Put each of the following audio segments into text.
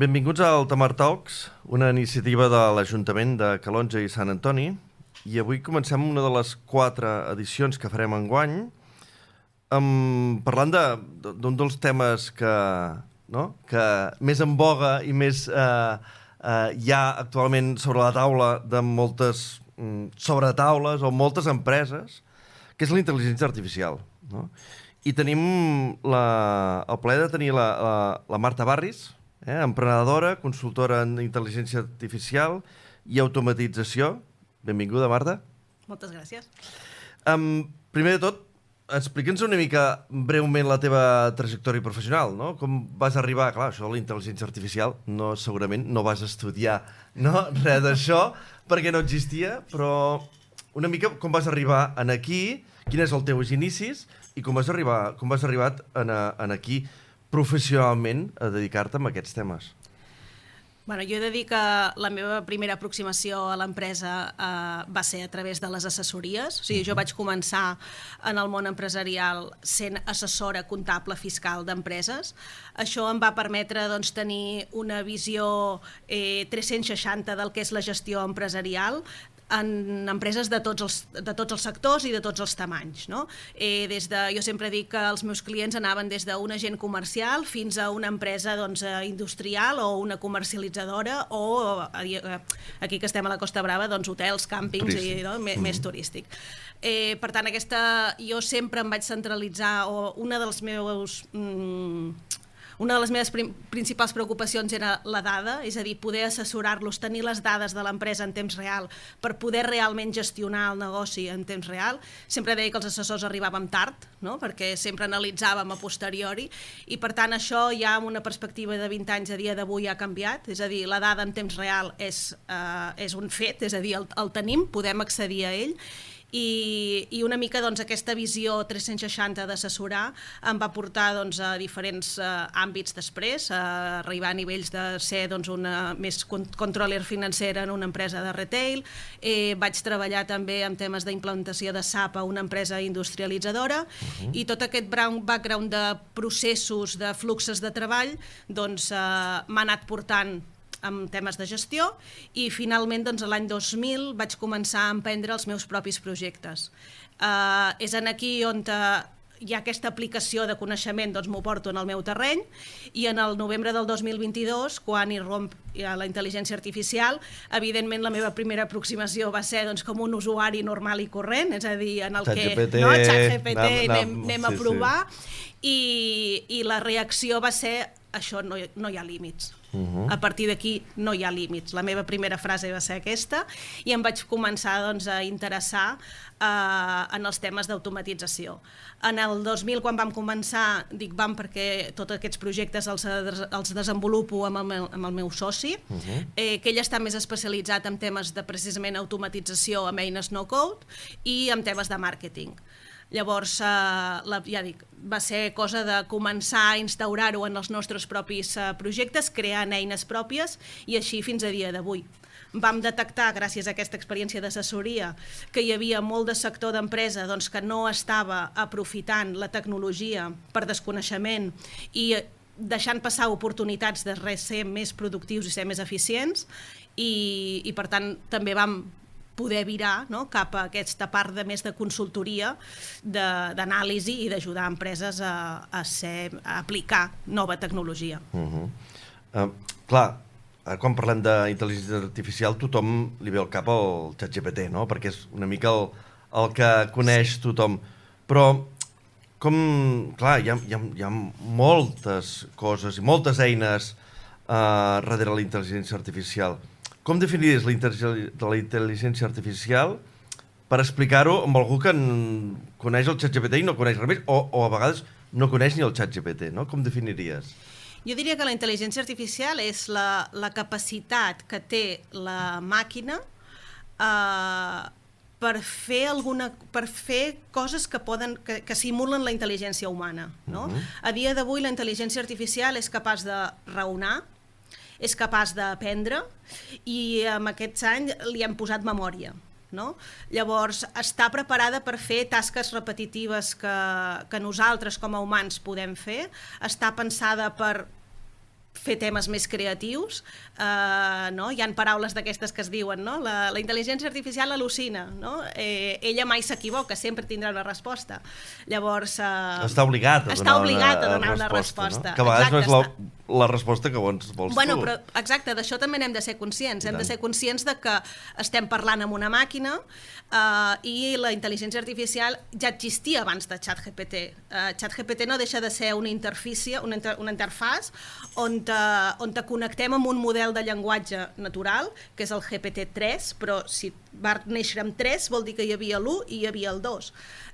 Benvinguts al Tamar Talks, una iniciativa de l'Ajuntament de Calonge i Sant Antoni. I avui comencem una de les 4 edicions que farem enguany, parlant d'un dels temes que més en boga i més hi ha actualment sobre la taula de moltes sobretaules o moltes empreses, que és la intel·ligència artificial. No? I tenim el plaer de tenir la Marta Barris, emprenedora, consultora en intel·ligència artificial i automatització. Benvinguda, Marta. Moltes gràcies. Primer de tot, explica'ns una mica breument la teva trajectòria professional, no? Com vas arribar, clar, això de la intel·ligència artificial, segurament no vas estudiar res d'això, perquè no existia, però una mica com vas arribar en aquí, quin és el teus inicis i com has arribat en aquí professionalment a dedicar-te a aquests temes. Jo he de dir que la meva primera aproximació a l'empresa va ser a través de les assessories. O sigui, jo vaig començar en el món empresarial sent assessora comptable fiscal d'empreses. Això em va permetre tenir una visió 360 del que és la gestió empresarial, en empreses de tots els sectors i de tots els tamanys. No? Jo sempre dic que els meus clients anaven des d'un agent comercial fins a una empresa industrial o una comercialitzadora o, aquí que estem a la Costa Brava, hotels, càmpings i més turístic. Per tant, jo sempre em vaig centralitzar, o una de les meves principals preocupacions era la dada, és a dir, poder assessorar-los, tenir les dades de l'empresa en temps real per poder realment gestionar el negoci en temps real. Sempre deia que els assessors arribàvem tard, no? Perquè sempre analitzàvem a posteriori i, per tant, això ja amb una perspectiva de 20 anys a dia d'avui ha canviat. És a dir, la dada en temps real és un fet, és a dir, el tenim, podem accedir a ell. I una mica aquesta visió 360 d'assessorar em va portar a diferents àmbits després, a arribar a nivells de ser una més controller financera en una empresa de retail. Vaig treballar també en temes d'implantació de SAP a una empresa industrialitzadora i tot aquest background de processos, de fluxos de treball m'ha anat portant amb temes de gestió i finalment l'any 2000 vaig començar a emprendre els meus propis projectes. És aquí on hi ha aquesta aplicació de coneixement, m'ho porto en el meu terreny i en el novembre del 2022, quan irromp la intel·ligència artificial, evidentment la meva primera aproximació va ser com un usuari normal i corrent, és a dir, en el que ChatGPT anem a provar i la reacció va ser això no hi ha límits. A partir d'aquí no hi ha límits. La meva primera frase va ser aquesta i em vaig començar a interessar en els temes d'automatització. En el 2000, quan vam començar, dic vam perquè tots aquests projectes els desenvolupo amb el meu soci, que ell està més especialitzat en temes de precisament automatització amb eines no-code i en temes de màrqueting. Llavors, ja dic, va ser cosa de començar a instaurar-ho en els nostres propis projectes, creant eines pròpies i així fins a dia d'avui. Vam detectar, gràcies a aquesta experiència d'assessoria, que hi havia molt de sector d'empresa que no estava aprofitant la tecnologia per desconeixement i deixant passar oportunitats de ser més productius i ser més eficients i per tant també vam poder virar cap a aquesta part més de consultoria, d'anàlisi i d'ajudar empreses a aplicar nova tecnologia. Clar, quan parlem d'intel·ligència artificial tothom li ve al cap el ChatGPT, perquè és una mica el que coneix tothom. Però, clar, hi ha moltes coses i moltes eines darrere la intel·ligència artificial. Com definiries la intel·ligència artificial per explicar-ho amb algú que coneix el ChatGPT i no coneix res més, o a vegades no coneix ni el ChatGPT, no? Com definiries? Jo diria que la intel·ligència artificial és la capacitat que té la màquina per fer coses que simulen la intel·ligència humana. A dia d'avui la intel·ligència artificial és capaç de raonar, és capaç d'aprendre i en aquests anys li hem posat memòria. Llavors, està preparada per fer tasques repetitives que nosaltres com a humans podem fer, està pensada per fer temes més creatius, no? Hi ha paraules d'aquestes que es diuen, no? La intel·ligència artificial al·lucina, no? Ella mai s'equivoca, sempre tindrà una resposta. Llavors... Està obligat a donar una resposta. No? Que a vegades no és la resposta que vols tu. Però, exacte, d'això també n'hem de ser conscients. Hem de ser conscients de que estem parlant amb una màquina i la intel·ligència artificial ja existia abans de ChatGPT. ChatGPT no deixa de ser una interfície, una interfàs on te connectem amb un model de llenguatge natural, que és el GPT-3, però si va néixer amb 3 vol dir que hi havia l'1 i hi havia el 2.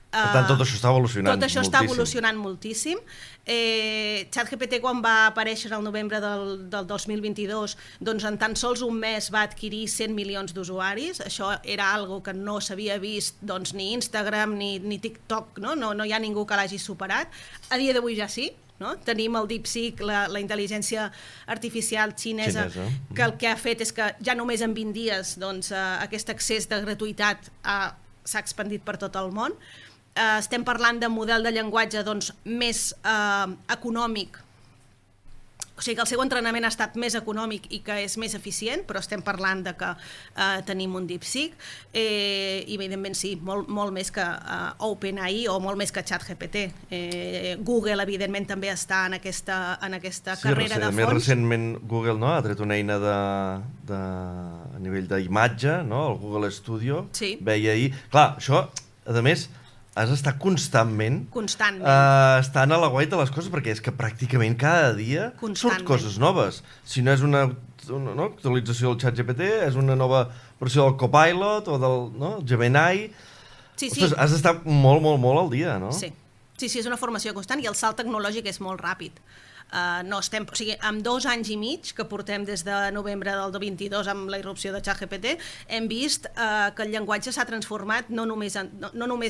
Per tant, tot això està evolucionant moltíssim. Tot això està evolucionant moltíssim. ChatGPT, quan va aparèixer el novembre del 2022, doncs en tan sols un mes va adquirir 100 milions d'usuaris. Això era algo que no s'havia vist doncs, ni Instagram ni TikTok, no hi ha ningú que l'hagi superat. A dia d'avui ja sí. No? Tenim el DeepSeek, la intel·ligència artificial xinesa, que el que ha fet és que ja només en 20 dies doncs, aquest accés de gratuïtat s'ha expandit per tot el món. Estem parlant de model de llenguatge doncs, més econòmic, o sigui que el seu entrenament ha estat més econòmic i que és més eficient, però estem parlant de que tenim un DeepSeek i evidentment sí, molt més que OpenAI o molt més que ChatGPT. Google evidentment també està en aquesta carrera de fons. Més recentment Google ha tret una eina a nivell d'imatge, el Google Studio, veia ahir. Clar, això, a més, has d'estar constantment estant a la guaita de les coses, perquè és que pràcticament cada dia surt coses noves. Si no és una actualització del ChatGPT, és una nova versió del Copilot o del Gemini. Ostres, has d'estar molt, molt, molt al dia, no? Sí, és una formació constant i el salt tecnològic és molt ràpid. Amb 2 anys i mig que portem des de novembre del 2022 amb la irrupció de ChatGPT, hem vist que el llenguatge s'ha transformat, no només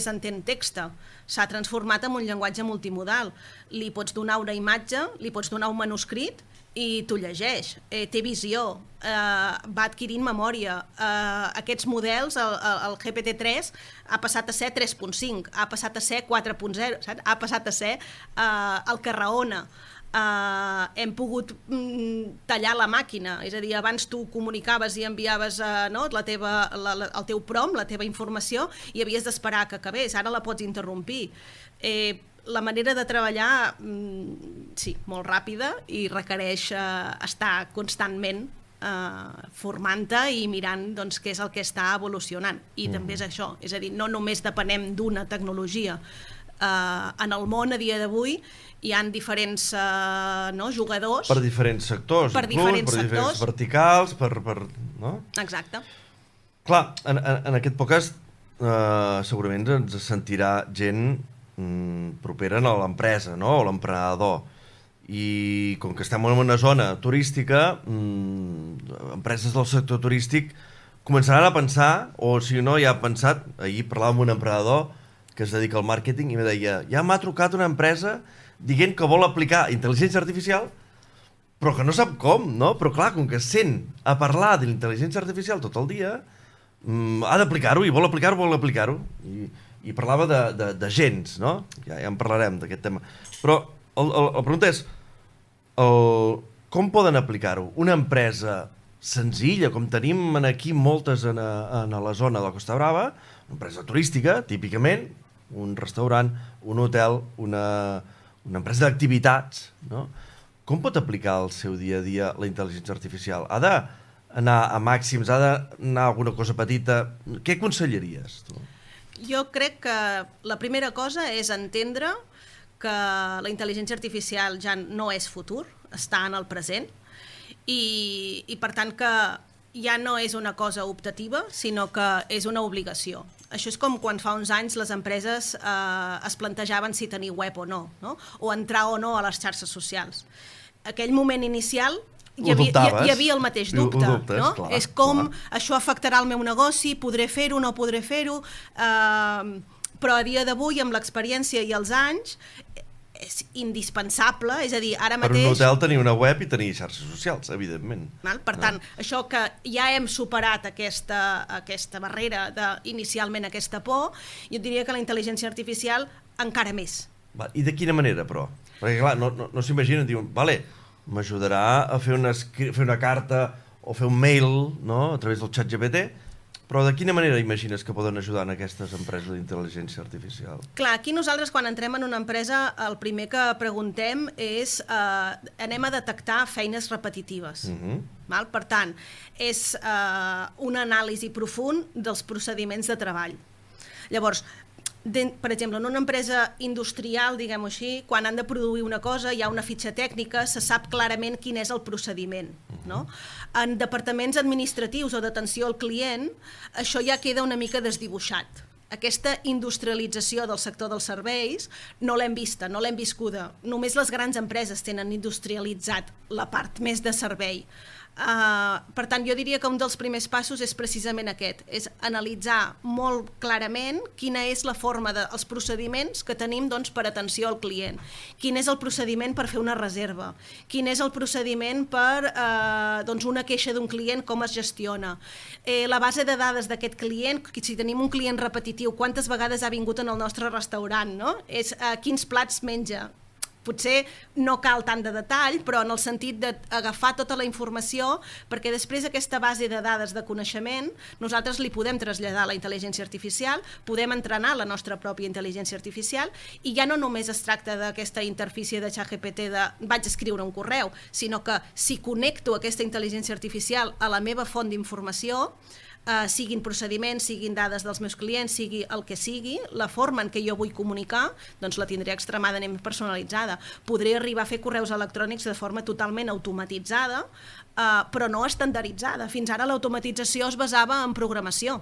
entén text, s'ha transformat en un llenguatge multimodal. Li pots donar una imatge, li pots donar un manuscrit i t'ho llegeix, té visió, va adquirint memòria. Aquests models, el GPT-3 ha passat a ser 3.5, ha passat a ser 4.0, ha passat a ser el que raona. Hem pogut tallar la màquina, és a dir, abans tu comunicaves i enviaves el teu prompt, la teva informació, i havies d'esperar que acabés, ara la pots interrompir. La manera de treballar, sí, molt ràpida i requereix estar constantment formant-te i mirant què és el que està evolucionant. I també és això, és a dir, no només depenem d'una tecnologia. En el món a dia d'avui hi ha diferents jugadors. Per diferents sectors, per diferents verticals, no? Exacte. Clar, en aquest podcast segurament ens sentirà gent propera a l'empresa, no? O l'emprenedor. I com que estem en una zona turística, empreses del sector turístic començaran a pensar, o si no ja ha pensat, ahir parlava amb un emprenedor que es dedica al màrqueting i em deia, ja m'ha trucat una empresa dient que vol aplicar intel·ligència artificial, però que no sap com, no? Però clar, com que sent a parlar de l'intel·ligència artificial tot el dia, ha d'aplicar-ho i vol aplicar-ho. I parlava de gens, no? Ja en parlarem d'aquest tema. Però la pregunta és, com poden aplicar-ho? Una empresa senzilla, com tenim aquí moltes a la zona de la Costa Brava, una empresa turística, típicament, un restaurant, un hotel, una empresa d'activitats, no? Com pot aplicar al seu dia a dia la intel·ligència artificial? Ha d'anar a màxims, ha d'anar a alguna cosa petita? Què aconsellaries, tu? Jo crec que la primera cosa és entendre que la intel·ligència artificial ja no és futur, està en el present, i per tant que ja no és una cosa optativa, sinó que és una obligació. Això és com quan fa uns anys les empreses es plantejaven si tenir web o no, o entrar o no a les xarxes socials. Aquell moment inicial hi havia el mateix dubte. No? Clar, és com això afectarà el meu negoci, podré fer-ho, no podré fer-ho, però a dia d'avui, amb l'experiència i els anys, és indispensable, és a dir, ara mateix... Per un hotel tenir una web i tenir xarxes socials, evidentment. Per tant, això que ja hem superat aquesta barrera inicialment aquesta por, jo diria que la intel·ligència artificial encara més. I de quina manera, però? Perquè, clar, no s'imaginen, diuen, vale, m'ajudarà a fer una carta o fer un mail, no?, a través del ChatGPT, però de quina manera imagines que poden ajudar en aquestes empreses d'intel·ligència artificial? Clar, aquí nosaltres quan entrem en una empresa el primer que preguntem és anem a detectar feines repetitives. Val? Per tant, és una anàlisi profund dels procediments de treball. Llavors, per exemple, en una empresa industrial, diguem-ho així, quan han de produir una cosa, hi ha una fitxa tècnica, se sap clarament quin és el procediment. No? En departaments administratius o d'atenció al client, això ja queda una mica desdibuixat. Aquesta industrialització del sector dels serveis no l'hem vista, no l'hem viscuda. Només les grans empreses tenen industrialitzat la part més de servei. Per tant, jo diria que un dels primers passos és precisament aquest, és analitzar molt clarament quina és la forma dels procediments que tenim doncs, per atenció al client, quin és el procediment per fer una reserva, quin és el procediment per doncs, una queixa d'un client, com es gestiona, la base de dades d'aquest client, si tenim un client repetitiu, quantes vegades ha vingut en el nostre restaurant, no? És quins plats menja. Potser no cal tant de detall, però en el sentit d'agafar tota la informació, perquè després aquesta base de dades de coneixement nosaltres li podem traslladar a la intel·ligència artificial, podem entrenar la nostra pròpia intel·ligència artificial i ja no només es tracta d'aquesta interfície de ChatGPT de vaig escriure un correu, sinó que si connecto aquesta intel·ligència artificial a la meva font d'informació, siguin procediments, siguin dades dels meus clients, sigui el que sigui, la forma en què jo vull comunicar, doncs la tindré extremadament personalitzada. Podré arribar a fer correus electrònics de forma totalment automatitzada, però no estandarditzada. Fins ara l'automatització es basava en programació.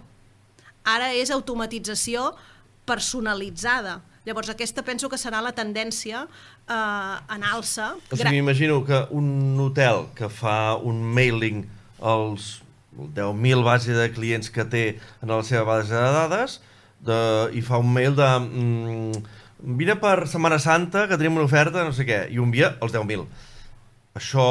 Ara és automatització personalitzada. Llavors aquesta penso que serà la tendència en alça. O sigui, m'imagino que un hotel que fa un mailing als 10.000 base de clients que té en la seva base de dades i fa un mail de vine per Setmana Santa que tenim una oferta, no sé què, i ho envia als 10.000. Això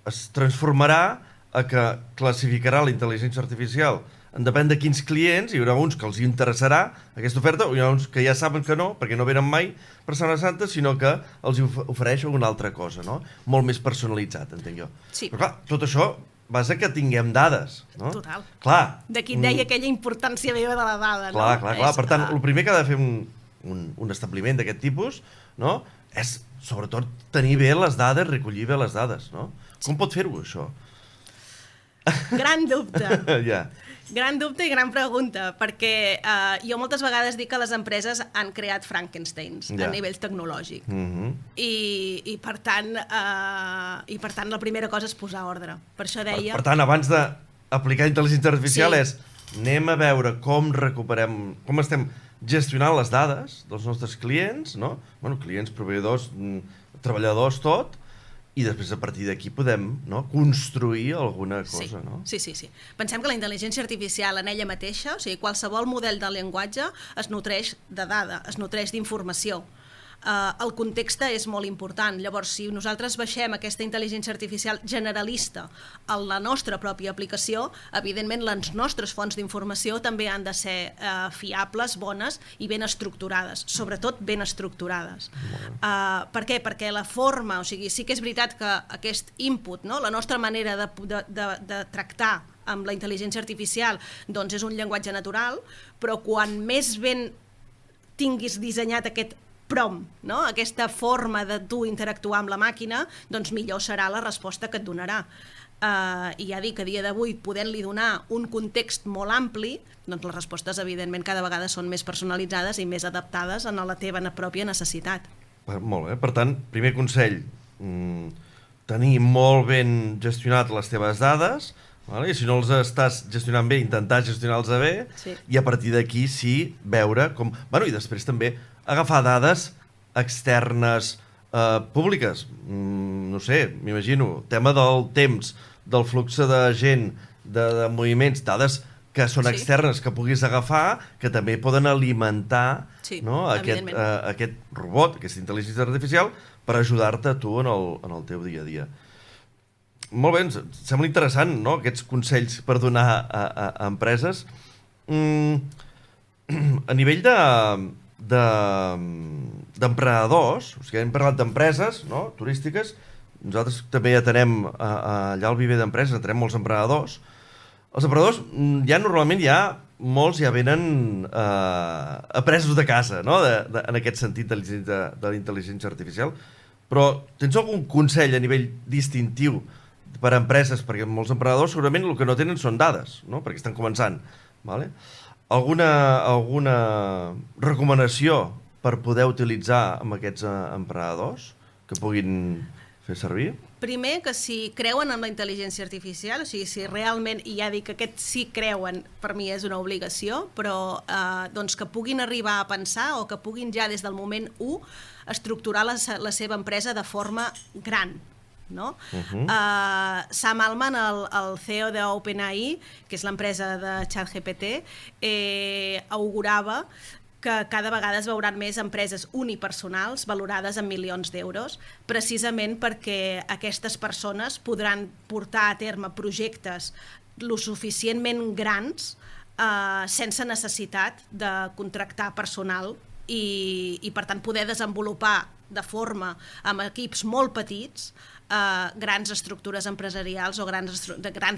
es transformarà a que classificarà la intel·ligència artificial en depèn de quins clients, hi haurà uns que els interessarà aquesta oferta, o hi ha uns que ja saben que no, perquè no venen mai per Setmana Santa, sinó que els ofereix alguna altra cosa, no? Molt més personalitzat, entenc jo. Sí. Però clar, tot això basa que tinguem dades, no? Total. Clar. D'aquí deia aquella importància meva de la dada, no? Clar. Per tant, el primer que ha de fer un establiment d'aquest tipus, no?, és sobretot tenir bé les dades, recollir bé les dades, no? Com pot fer-ho, això? Gran dubte. Ja. Gran dubte i gran pregunta, perquè jo moltes vegades dic que les empreses han creat Frankensteins a nivell tecnològic. I per tant la primera cosa és posar ordre. Per això deia... Per tant, abans d'aplicar intel·ligència artificial és anem a veure com recuperem, com estem gestionant les dades dels nostres clients, no? Bueno, clients, proveïdors, treballadors, tot, i després a partir d'aquí podem construir alguna cosa, no? Sí. Pensem que la intel·ligència artificial en ella mateixa, o sigui, qualsevol model de llenguatge es nutreix de dada, es nutreix d'informació. El context és molt important. Llavors, si nosaltres baixem aquesta intel·ligència artificial generalista a la nostra pròpia aplicació, evidentment les nostres fonts d'informació també han de ser fiables, bones i ben estructurades, sobretot ben estructurades. Per què? Perquè la forma, o sigui, sí que és veritat que aquest input, no? La nostra manera de tractar amb la intel·ligència artificial doncs és un llenguatge natural, però quan més ben tinguis dissenyat aquest prompt, no? Aquesta forma de tu interactuar amb la màquina, doncs millor serà la resposta que et donarà. I ja dic, a dia d'avui, podent-li donar un context molt ampli, doncs les respostes, evidentment, cada vegada són més personalitzades i més adaptades a la teva pròpia necessitat. Molt bé. Per tant, primer consell, tenir molt ben gestionat les teves dades, i si no els estàs gestionant bé, intentar gestionar-los bé, i a partir d'aquí sí veure com... I després també agafar dades externes públiques. No sé, m'imagino, tema del temps, del flux de gent, de moviments, dades que són externes, que puguis agafar, que també poden alimentar aquest robot, aquesta intel·ligència artificial, per ajudar-te a tu en el teu dia a dia. Molt bé, ens sembla interessant, no?, aquests consells per donar a empreses. A nivell d'emprenedors, o sigui, hem parlat d'empreses turístiques, nosaltres també atenem allà al viver d'empreses, atenem molts emprenedors. Els emprenedors normalment molts ja venen apresos de casa, no? En aquest sentit de la intel·ligència artificial. Però tens algun consell a nivell distintiu per a empreses? Perquè molts emprenedors segurament el que no tenen són dades, no? Perquè estan començant. Vale? Alguna recomanació per poder utilitzar amb aquests emprenedors que puguin fer servir? Primer, que si creuen en la intel·ligència artificial, o sigui, si realment, i ja dic que aquests sí creuen, per mi és una obligació, però doncs que puguin arribar a pensar o que puguin ja des del moment 1 estructurar la seva empresa de forma gran. No? Sam Altman, el CEO d'OpenAI, que és l'empresa de ChatGPT, augurava que cada vegada es veuran més empreses unipersonals valorades en milions d'euros, precisament perquè aquestes persones podran portar a terme projectes lo suficientment grans sense necessitat de contractar personal i per tant poder desenvolupar de forma amb equips molt petits grans estructures empresarials o grans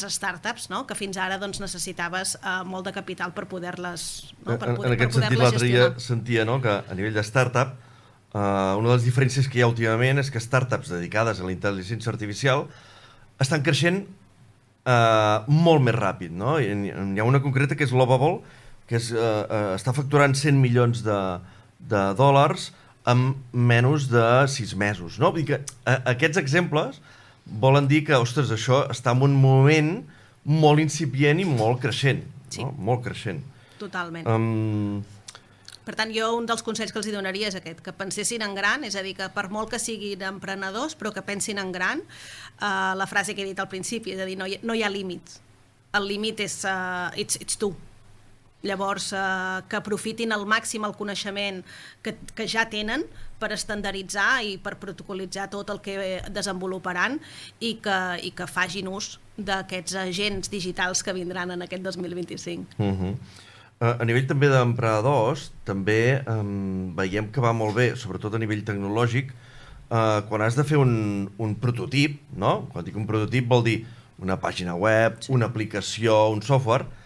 startups, no? Que fins ara doncs, necessitaves molt de capital per poder-les gestionar. En aquest sentit, l'altre dia sentia, no?, que a nivell de startup una de les diferències que hi ha últimament és que startups dedicades a la intel·ligència artificial estan creixent molt més ràpid, no? Hi ha una concreta que és Lovable, que està facturant 100 milions de dòlars en menys de 6 mesos. No? Vull dir que aquests exemples volen dir que, ostres, això està en un moment molt incipient i molt creixent. Sí. No? Molt creixent. Totalment. Per tant, jo un dels consells que els donaria és aquest, que pensessin en gran, és a dir, que per molt que siguin emprenedors, però que pensin en gran. La frase que he dit al principi, és a dir, no hi ha límits. El límit és it's tu. Llavors, que aprofitin al màxim el coneixement que ja tenen per estandarditzar i per protocolitzar tot el que desenvoluparan i que facin ús d'aquests agents digitals que vindran en aquest 2025. A nivell també d'emprenedors, també veiem que va molt bé, sobretot a nivell tecnològic, quan has de fer un prototip, no? Quan dic un prototip vol dir una pàgina web, una aplicació, un software.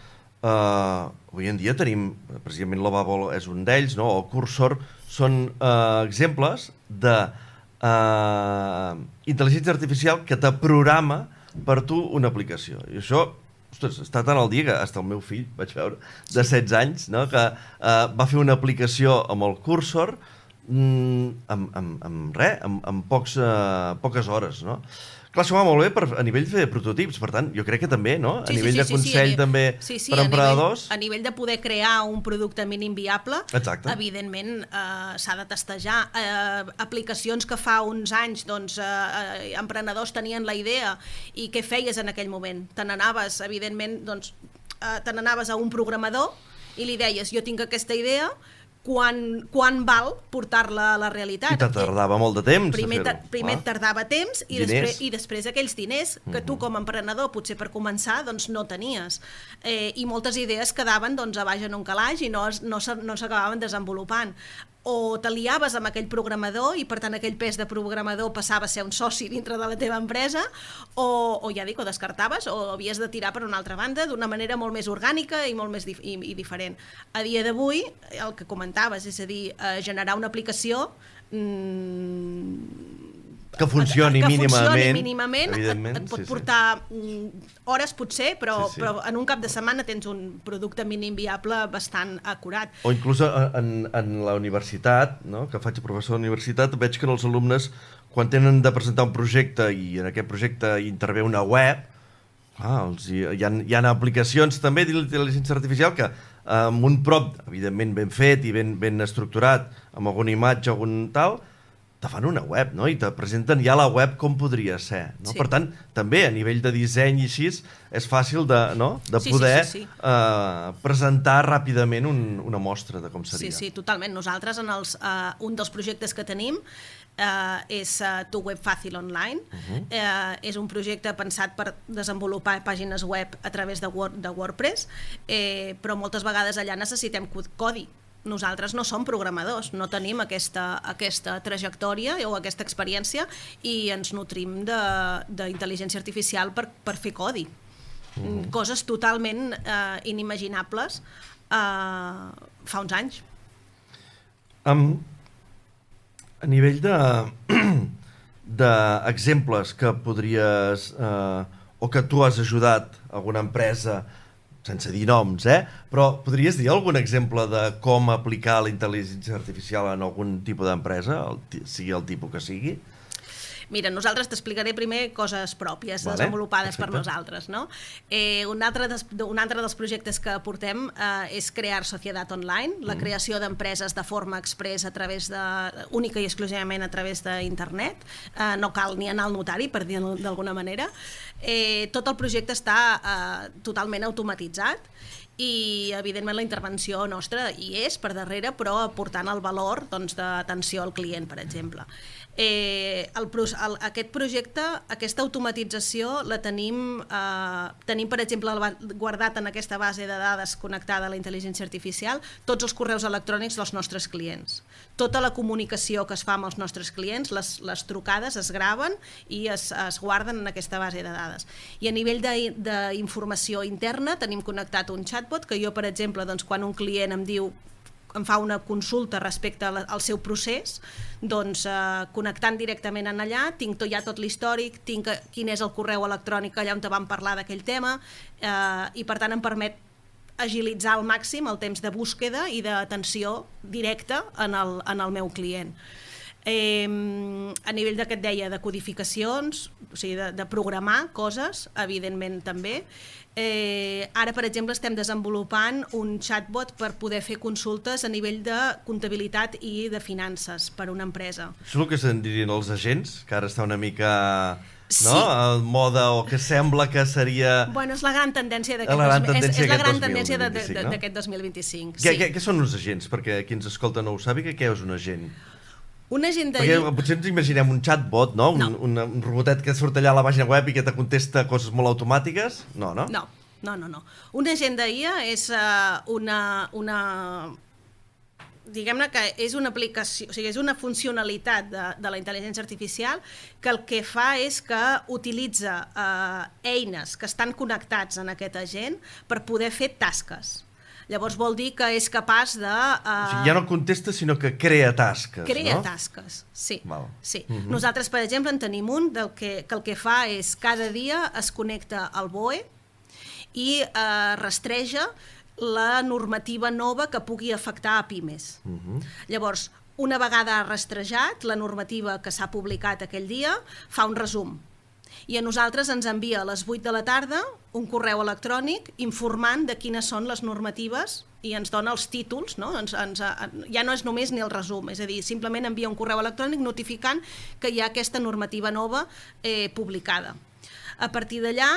Avui en dia tenim, precisament Lovable és un d'ells, no? O Cursor, són exemples de intel·ligència artificial que te programa per tu una aplicació. I això, ostres, està tan al dia que fins el meu fill, vaig veure, de 16 anys, no? Que va fer una aplicació amb el Cursor amb poques hores, no? Clar, això va molt bé a nivell de prototips, per tant, jo crec que també, no? A nivell de consell també per emprenedors. A nivell de poder crear un producte mínim viable, exacte, evidentment s'ha de testejar. Aplicacions que fa uns anys emprenedors tenien la idea i què feies en aquell moment? Te n'anaves, evidentment, a un programador i li deies, jo tinc aquesta idea, quan val portar-la a la realitat. I te tardava molt de temps. Primer tardava temps i després aquells diners que tu com a emprenedor potser per començar no tenies. I moltes idees quedaven a baix en un calaix i no s'acabaven desenvolupant. O t'aliaves amb aquell programador i per tant aquell pes de programador passava a ser un soci dintre de la teva empresa o ja dic, o descartaves o havies de tirar per una altra banda d'una manera molt més orgànica i molt més diferent. A dia d'avui, el que comentaves, és a dir, generar una aplicació que funcioni mínimament et pot portar hores potser, però en un cap de setmana tens un producte mínim viable bastant acurat. O inclús en la universitat, no? Que faig professor de universitat, veig que els alumnes, quan tenen de presentar un projecte i en aquest projecte intervé una web, hi ha aplicacions també d'intel·ligència artificial que amb un prompt, evidentment ben fet i ben estructurat, amb alguna imatge, algun tal, te fan una web, no? I te presenten ja la web com podria ser, no? Sí. Per tant, també a nivell de disseny i així és fàcil de poder presentar ràpidament una mostra de com seria. Sí, totalment. Nosaltres, un dels projectes que tenim és Tu Web Fàcil Online. És un projecte pensat per desenvolupar pàgines web a través de WordPress, però moltes vegades allà necessitem codi. nosaltres no som programadors, no tenim aquesta trajectòria o aquesta experiència i ens nutrim d'intel·ligència artificial per fer codi. Coses totalment inimaginables fa uns anys. A nivell d'exemples que podries o que tu has ajudat alguna empresa, sense dir noms, però podries dir algun exemple de com aplicar la intel·ligència artificial en algun tipus d'empresa, sigui el tipus que sigui? Mira, nosaltres t'explicaré primer coses pròpies, desenvolupades per nosaltres, no? Un altre dels projectes que portem és crear Societat Online, la creació d'empreses de forma express única i exclusivament a través d'internet. No cal ni anar al notari, per dir-ho d'alguna manera. Tot el projecte està totalment automatitzat i, evidentment, la intervenció nostra hi és per darrere, però aportant el valor d'atenció al client, per exemple. Aquest projecte, aquesta automatització la tenim, per exemple, guardat en aquesta base de dades connectada a la intel·ligència artificial, tots els correus electrònics dels nostres clients. Tota la comunicació que es fa amb els nostres clients, les trucades es graven i es guarden en aquesta base de dades. I a nivell d'informació interna tenim connectat un chatbot que jo, per exemple, quan un client em fa una consulta respecte al seu procés, doncs connectant directament en allà, tinc ja tot l'històric, tinc quin és el correu electrònic allà on vam parlar d'aquell tema i per tant em permet agilitzar al màxim el temps de búsqueda i d'atenció directa en el meu client. A nivell que et deia de codificacions, o sigui, de programar coses, evidentment també. Ara, per exemple, estem desenvolupant un chatbot per poder fer consultes a nivell de comptabilitat i de finances per a una empresa. Això és el que se'n dirien els agents, que ara està una mica... no? El moda, o que sembla que seria... Bueno, és la gran tendència d'aquest 2025. Què són uns agents? Perquè qui ens escolta no ho sàpiga, què és un agent? Un agent Perquè potser ens imaginem un chatbot, no? Un robotet que surt allà a la pàgina web i que te contesta coses molt automàtiques? No. Un agent d'IA és diguem-ne que és una aplicació, o sigui, és una funcionalitat de la intel·ligència artificial que el que fa és que utilitza eines que estan connectats en aquest agent per poder fer tasques. Llavors vol dir que és capaç de... O sigui, ja no contesta, sinó que crea tasques, Crea tasques, sí. Nosaltres, per exemple, en tenim un que el que fa és cada dia es connecta al BOE i rastreja la normativa nova que pugui afectar a pimes. Llavors, una vegada rastrejat la normativa que s'ha publicat aquell dia, fa un resum. I a nosaltres ens envia a les 8 de la tarda un correu electrònic informant de quines són les normatives i ens dona els títols, no? Ja no és només ni el resum, és a dir, simplement envia un correu electrònic notificant que hi ha aquesta normativa nova publicada. A partir d'allà,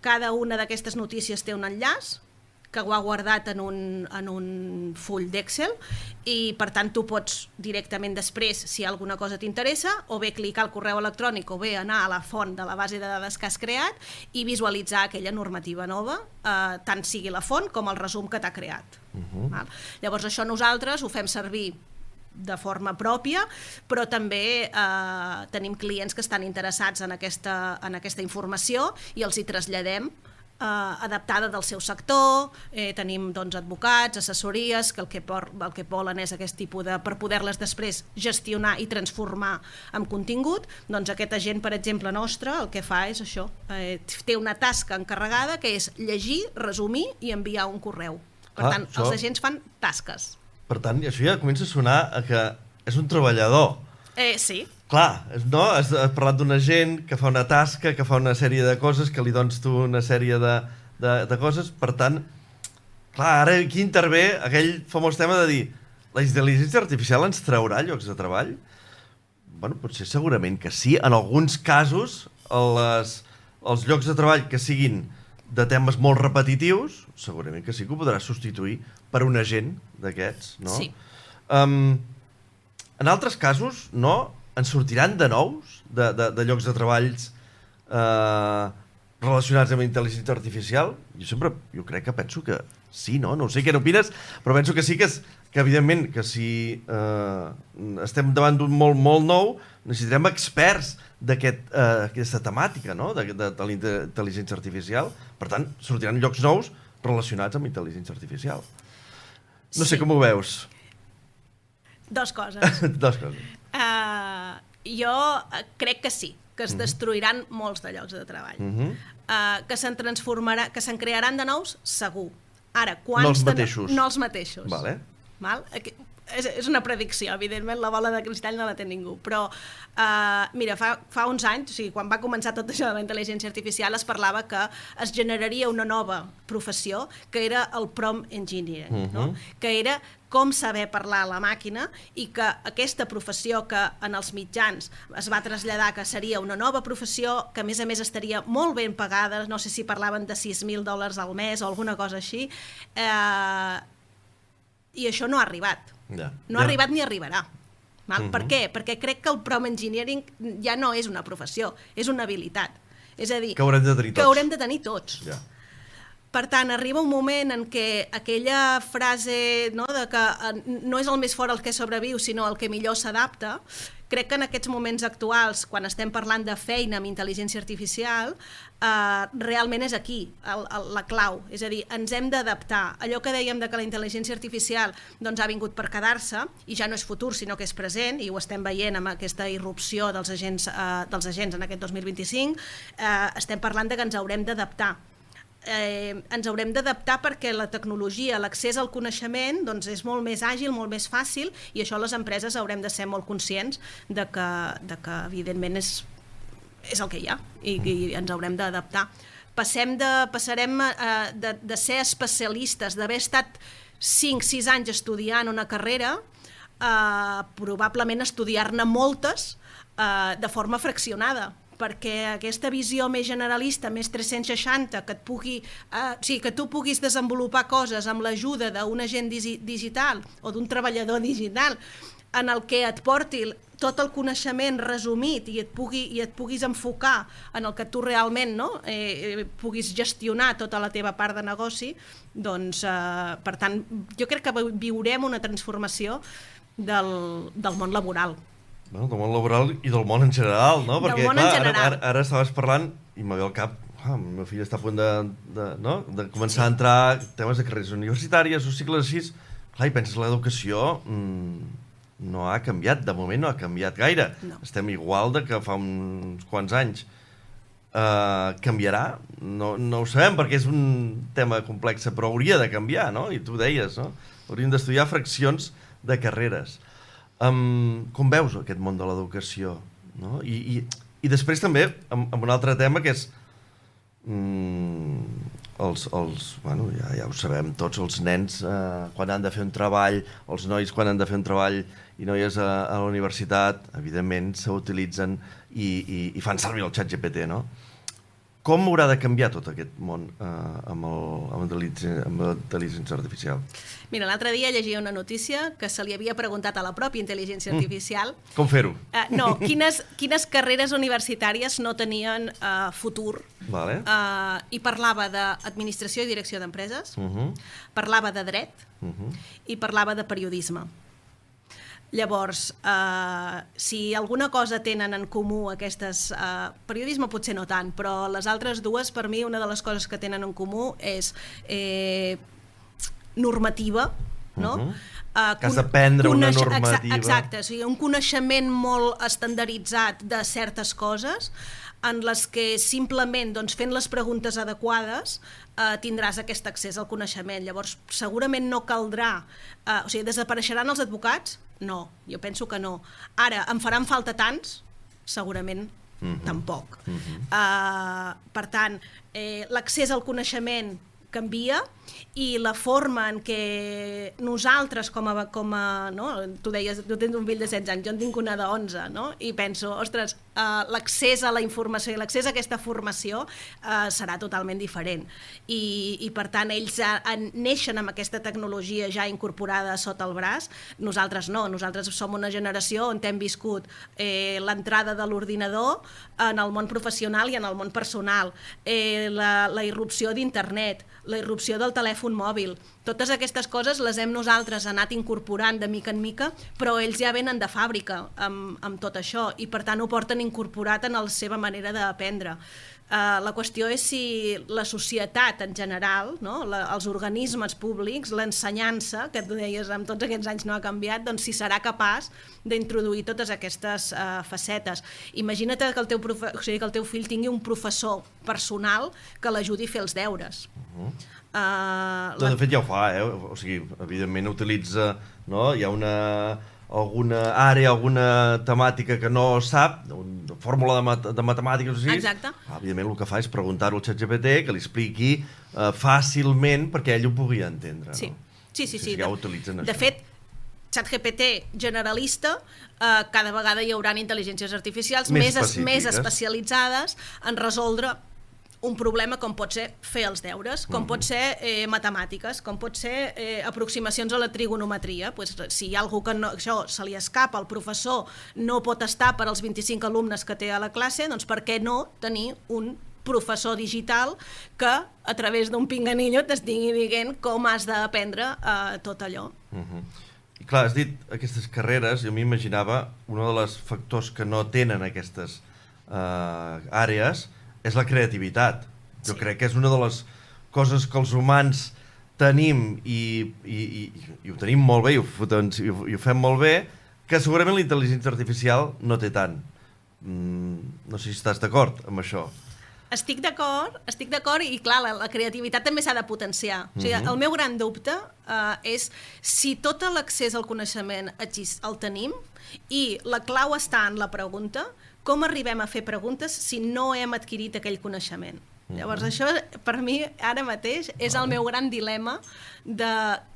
cada una d'aquestes notícies té un enllaç que ho ha guardat en un full d'Excel i, per tant, tu pots directament després, si alguna cosa t'interessa, o bé clicar al correu electrònic o bé anar a la font de la base de dades que has creat i visualitzar aquella normativa nova, tant sigui la font com el resum que t'ha creat. Llavors, això nosaltres ho fem servir de forma pròpia, però també tenim clients que estan interessats en aquesta informació i els hi traslladem adaptada del seu sector, tenim advocats, assessories, que el que volen és aquest tipus per poder-les després gestionar i transformar en contingut. Doncs aquest agent, per exemple, nostre, el que fa és això, té una tasca encarregada que és llegir, resumir i enviar un correu. Per tant, els agents fan tasques. Per tant, això ja comença a sonar que és un treballador. Sí. Clar, no? Has parlat d'un agent que fa una tasca, que fa una sèrie de coses, que li dones tu una sèrie de coses. Per tant, clar, ara aquí intervé aquell famós tema de dir la intel·ligència artificial ens traurà llocs de treball? Bueno, potser segurament que sí. En alguns casos, els llocs de treball que siguin de temes molt repetitius, segurament que sí que ho podrà substituir per un agent d'aquests, no? Sí. En altres casos, no? En sortiran de nous, de llocs de treballs relacionats amb intel·ligència artificial? Jo crec que penso que sí, no? No sé què n'opines, però penso que sí que evidentment, que si estem davant d'un molt nou, necessitarem experts d'aquesta temàtica, no? De la intel·ligència artificial. Per tant, sortiran llocs nous relacionats amb intel·ligència artificial. No sé com ho veus. Dos coses. Dos coses. Jo crec que sí, que es destruiran molts de llocs de treball. Que se'n crearan de nous, segur. Ara, quants... No els mateixos. No els mateixos. Vale. Val? És una predicció, evidentment, la bola de cristall no la té ningú, però mira, fa uns anys, o sigui, quan va començar tot això de la intel·ligència artificial, es parlava que es generaria una nova professió, que era el prompt engineering, no? Que era com saber parlar a la màquina, i que aquesta professió que en els mitjans es va traslladar que seria una nova professió, que a més estaria molt ben pagada, no sé si parlaven de $6.000 al mes o alguna cosa així, i això no ha arribat. No ha arribat ni arribarà. Per què? Perquè crec que el prompt engineering ja no és una professió, és una habilitat. És a dir, que haurem de tenir tots. Per tant, arriba un moment en què aquella frase, no, de que no és el més fort el que sobreviu, sinó el que millor s'adapta, crec que en aquests moments actuals, quan estem parlant de feina amb intel·ligència artificial, realment és aquí la clau. És a dir, ens hem d'adaptar. Allò que dèiem de que la intel·ligència artificial ha vingut per quedar-se, i ja no és futur, sinó que és present, i ho estem veient amb aquesta irrupció dels agents en aquest 2025, estem parlant de que ens haurem d'adaptar. Ens haurem d'adaptar perquè la tecnologia, l'accés al coneixement és molt més àgil, molt més fàcil, i això les empreses haurem de ser molt conscients de que evidentment és el que hi ha, i ens haurem d'adaptar. Passarem de ser especialistes, d'haver estat 5-6 anys estudiant una carrera, a probablement estudiar-ne moltes de forma fraccionada, perquè aquesta visió més generalista, més 360, que tu puguis desenvolupar coses amb l'ajuda d'un agent digital o d'un treballador digital, en el que et porti tot el coneixement resumit i et puguis enfocar en el que tu realment puguis gestionar tota la teva part de negoci, doncs, per tant, jo crec que viurem una transformació del món laboral. Del món laboral i del món en general, no? Perquè, clar, ara estaves parlant i me ve al cap, el meu fill està a punt de començar a entrar temes de carreres universitàries o cicles així. Clar, i penses, l'educació no ha canviat, de moment no ha canviat gaire. Estem igual que fa uns quants anys. Canviarà? No ho sabem perquè és un tema complex, però hauria de canviar, no? I tu deies, no? Hauríem d'estudiar fraccions de carreres. Com veus aquest món de l'educació? I després també amb un altre tema que és ja ho sabem tots, els nens quan han de fer un treball, els nois quan han de fer un treball i noies a la universitat, evidentment s'utilitzen i fan servir el ChatGPT, no? Com haurà de canviar tot aquest món amb l'intel·ligència artificial? Mira, l'altre dia llegia una notícia que se li havia preguntat a la pròpia intel·ligència artificial... Com fer-ho? No, quines carreres universitàries no tenien futur. I parlava d'administració i direcció d'empreses, parlava de dret i parlava de periodisme. Llavors, si alguna cosa tenen en comú aquestes... periodisme potser no tant, però les altres dues, per mi, una de les coses que tenen en comú és normativa, no? Que has d'aprendre una normativa. Exacte, o sigui, un coneixement molt estandarditzat de certes coses en les que simplement fent les preguntes adequades tindràs aquest accés al coneixement. Llavors, segurament no caldrà... O sigui, desapareixeran els advocats? No, jo penso que no. Ara, em faran falta tants? Segurament tampoc. Per tant, l'accés al coneixement canvia i la forma en què nosaltres com a no? Tu deies, tu tens un fill de 16 anys, jo en tinc una de 11, no? I penso, ostres, l'accés a la informació i l'accés a aquesta formació serà totalment diferent. I per tant, ells neixen amb aquesta tecnologia ja incorporada sota el braç, nosaltres no, nosaltres som una generació on hem viscut l'entrada de l'ordinador en el món professional i en el món personal, la irrupció d'internet, la irrupció del telèfon mòbil. Totes aquestes coses les hem nosaltres anat incorporant de mica en mica, però ells ja venen de fàbrica amb tot això i per tant ho porten incorporat en la seva manera d'aprendre. La qüestió és si la societat en general, no? Els organismes públics, l'ensenyança, que tu deies amb tots aquests anys no ha canviat, doncs si serà capaç d'introduir totes aquestes facetes. Imagina't que el teu fill tingui un professor personal que l'ajudi a fer els deures. De fet ja ho fa, o sigui, evidentment utilitza, no? Hi ha alguna àrea, alguna temàtica que no sap, una fórmula de matemàtiques o així. Exacte. Evidentment el que fa és preguntar-ho al ChatGPT, que li expliqui fàcilment perquè ell ho pugui entendre. Sí, sí. Ja ho utilitzen això. De fet, ChatGPT generalista, cada vegada hi haurà intel·ligències artificials més especialitzades en resoldre un problema com pot ser fer els deures, com pot ser matemàtiques, com pot ser aproximacions a la trigonometria. Pues, si hi ha algú que això se li escapa, el professor no pot estar per als 25 alumnes que té a la classe, doncs per què no tenir un professor digital que a través d'un pinganillo t'estigui dient com has d'aprendre tot allò. I clar, has dit aquestes carreres, jo m'imaginava un dels factors que no tenen aquestes àrees és la creativitat. Jo crec que és una de les coses que els humans tenim i ho tenim molt bé i ho fem molt bé, que segurament la intel·ligència artificial no té tant. No sé si estàs d'acord amb això. Estic d'acord i clar, la creativitat també s'ha de potenciar. O sigui, el meu gran dubte és si tot l'accés al coneixement el tenim i la clau està en la pregunta, com arribem a fer preguntes si no hem adquirit aquell coneixement? Llavors això per mi ara mateix és el meu gran dilema de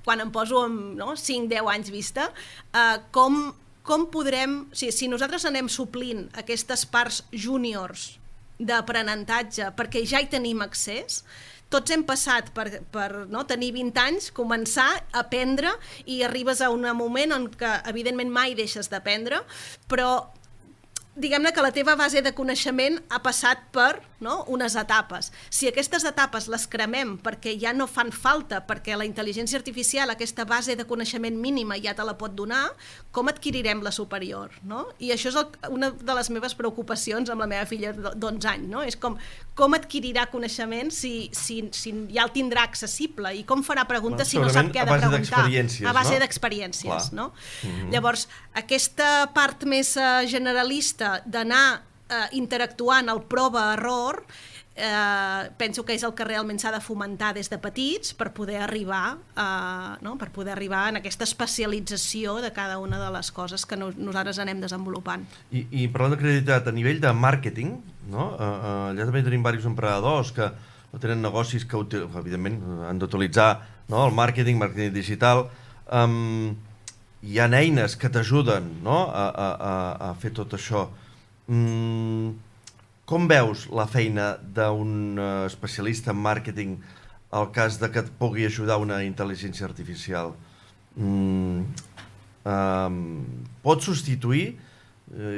quan em poso amb 5-10 anys vista, com podrem, si nosaltres anem suplint aquestes parts júniors d'aprenentatge perquè ja hi tenim accés, tots hem passat per tenir 20 anys, començar a aprendre i arribes a un moment en què evidentment mai deixes d'aprendre, però diguem-ne que la teva base de coneixement ha passat per unes etapes. Si aquestes etapes les cremem perquè ja no fan falta, perquè la intel·ligència artificial, aquesta base de coneixement mínima ja te la pot donar, com adquirirem la superior? I això és una de les meves preocupacions amb la meva filla d'11 anys. És com adquirirà coneixement si ja el tindrà accessible i com farà preguntes si no sap què ha de preguntar. A base d'experiències. Llavors, aquesta part més generalista d'anar interactuant al prova-error, penso que és el que realment s'ha de fomentar des de petits per poder arribar en aquesta especialització de cada una de les coses que nosaltres anem desenvolupant. I parlant de creativitat, a nivell de màrqueting, allà també tenim diversos emprenedors que tenen negocis que evidentment han d'utilitzar el màrqueting digital. Hi ha eines que t'ajuden a fer tot això. Com veus la feina d'un especialista en màrqueting al cas de que et pugui ajudar una intel·ligència artificial? Pot substituir?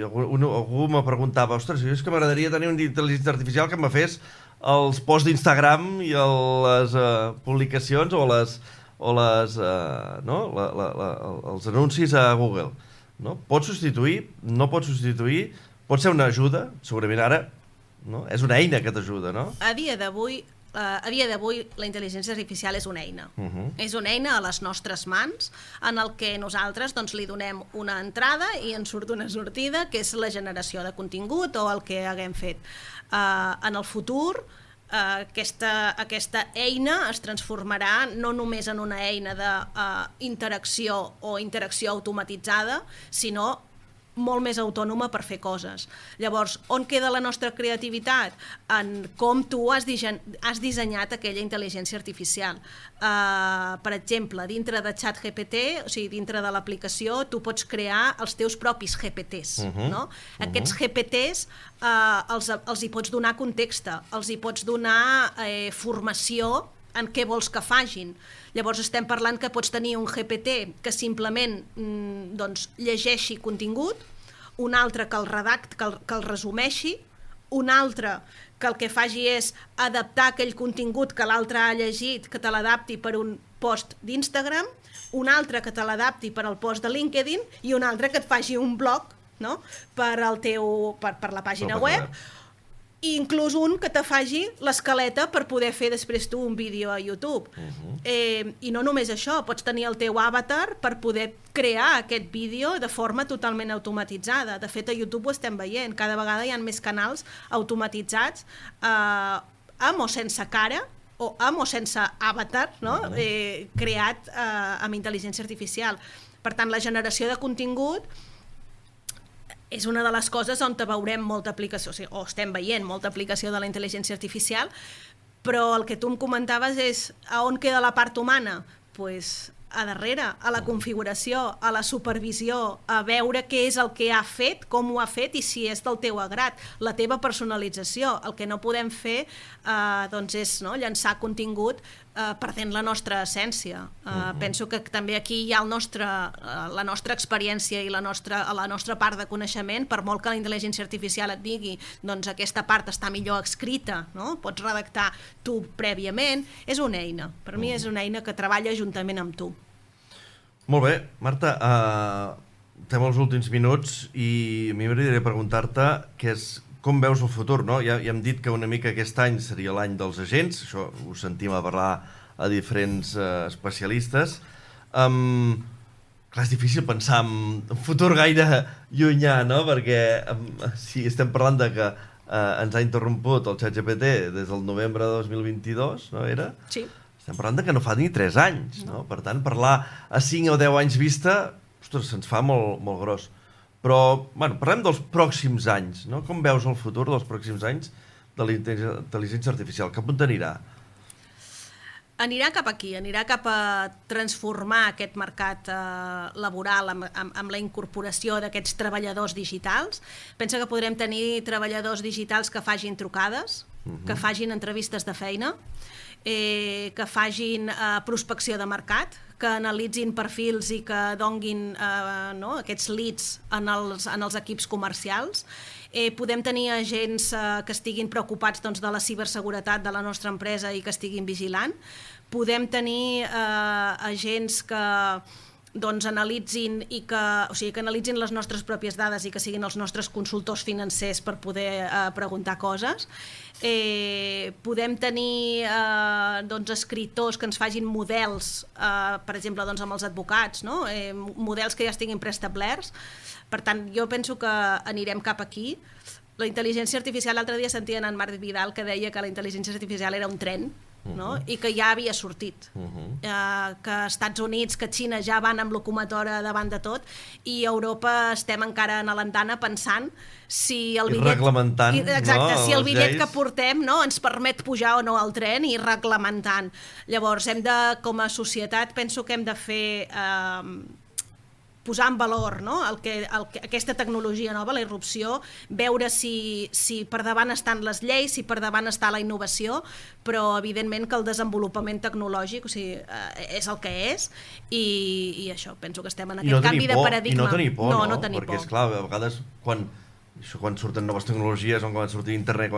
Algú me preguntava, ostres, és que m'agradaria tenir una intel·ligència artificial que me fes els posts d'Instagram i les publicacions o els anuncis a Google. Pot substituir? No pot substituir? Pot ser una ajuda? Segurament ara és una eina que t'ajuda, no? A dia d'avui la intel·ligència artificial és una eina. És una eina a les nostres mans en el que nosaltres li donem una entrada i en surt una sortida, que és la generació de contingut o el que haguem fet. En el futur, aquesta eina es transformarà no només en una eina d'interacció o interacció automatitzada, sinó molt més autònoma per fer coses. Llavors, on queda la nostra creativitat? En com tu has dissenyat aquella intel·ligència artificial. Per exemple, dintre de ChatGPT, o sigui, dintre de l'aplicació, tu pots crear els teus propis GPTs. No? Aquests GPTs els hi pots donar context, els hi pots donar formació en què vols que fagin. Llavors estem parlant que pots tenir un GPT que simplement llegeixi contingut, un altre que el redacti, que el resumeixi, un altre que el que faci és adaptar aquell contingut que l'altre ha llegit, que te l'adapti per un post d'Instagram, un altre que te l'adapti per al post de LinkedIn i un altre que et faci un blog, no? per la pàgina web, i inclús un que te faci l'escaleta per poder fer després tu un vídeo a YouTube. I no només això, pots tenir el teu avatar per poder crear aquest vídeo de forma totalment automatitzada. De fet, a YouTube ho estem veient, cada vegada hi ha més canals automatitzats amb o sense cara, o amb o sense avatar, no? Creat amb intel·ligència artificial. Per tant, la generació de contingut és una de les coses on veurem molta aplicació, o estem veient molta aplicació de la intel·ligència artificial, però el que tu em comentaves és a on queda la part humana? Doncs a darrere, a la configuració, a la supervisió, a veure què és el que ha fet, com ho ha fet i si és del teu agrat, la teva personalització. El que no podem fer és llançar contingut perdent la nostra essència. Penso que també aquí hi ha la nostra experiència i la nostra part de coneixement, per molt que la intel·ligència artificial et digui doncs aquesta part està millor escrita, no? Pots redactar tu prèviament, és una eina. Per mi és una eina que treballa juntament amb tu. Molt bé, Marta, estem als últims minuts i a mi m'agradaria preguntar-te com veus el futur, no? Ja hem dit que una mica aquest any seria l'any dels agents, això ho sentim a parlar a diferents especialistes. Clar, és difícil pensar en un futur gaire llunyà, no? Perquè si estem parlant de que ens ha interromput el ChatGPT des del novembre de 2022, no era? Sí. Estem parlant de que no fa ni 3 anys, no? Per tant, parlar a 5 o 10 anys vista, ostres, se'ns fa molt, molt gros. Però, parlem dels pròxims anys, no? Com veus el futur dels pròxims anys de la intel·ligència artificial? Cap on anirà? Anirà cap aquí, anirà cap a transformar aquest mercat laboral amb la incorporació d'aquests treballadors digitals. Pensa que podrem tenir treballadors digitals que facin trucades, que facin entrevistes de feina, que facin prospecció de mercat, que analitzin perfils i que donguin aquests leads en els equips comercials. Podem tenir agents que estiguin preocupats de la ciberseguretat de la nostra empresa i que estiguin vigilant. Podem tenir agents que analitzin que analitzin les nostres pròpies dades i que siguin els nostres consultors financers per poder preguntar coses. Podem tenir escriptors que ens facin models, per exemple, amb els advocats, no? Models que ja estiguin preestablerts. Per tant, jo penso que anirem cap aquí. La intel·ligència artificial, l'altre dia sentia en Marc Vidal que deia que la intel·ligència artificial era un tren, no? I que ja havia sortit, que Estats Units, que Xina ja van amb locomotora davant de tot i a Europa estem encara en l'andana pensant si el bitllet, si el bitllet que portem ens permet pujar o no al tren i reglamentant. Llavors, com a societat, penso que hem de fer posar en valor aquesta tecnologia nova, la irrupció, veure si per davant estan les lleis, si per davant està la innovació, però evidentment que el desenvolupament tecnològic és el que és i això, penso que estem en aquest canvi de paradigma. I no tenir por, no tenir perquè por. És clar, a vegades quan surten noves tecnologies, quan sortir internet,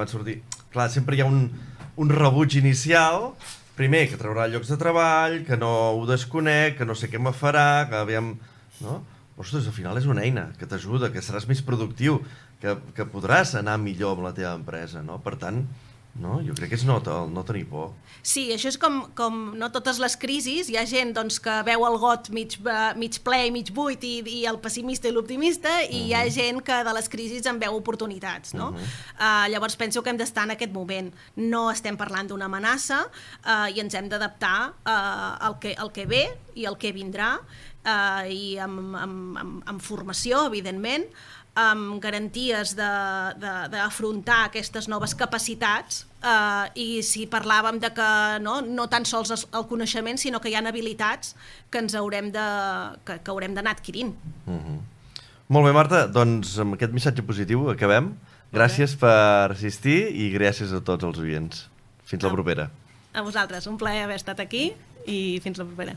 clar, sempre hi ha un rebuig inicial, primer que traurà llocs de treball, que no ho desconec, que no sé què me farà, que aviam... No? Ostres, al final és una eina que t'ajuda, que seràs més productiu, que podràs anar millor amb la teva empresa, no? Per tant, jo crec que és no tenir por. Sí, això és com totes les crisis, hi ha gent que veu el got mig ple i mig buit i el pessimista i l'optimista i hi ha gent que de les crisis en veu oportunitats, no? Llavors penso que hem d'estar en aquest moment. No estem parlant d'una amenaça i ens hem d'adaptar al que ve i al que vindrà i amb formació, evidentment, amb garanties d'afrontar aquestes noves capacitats, i si parlàvem de que no tan sols el coneixement, sinó que hi ha habilitats que ens haurem d'anar adquirint. Molt bé, Marta, doncs amb aquest missatge positiu acabem. Gràcies per assistir i gràcies a tots els oients. Fins la propera. A vosaltres, un plaer haver estat aquí i fins la propera.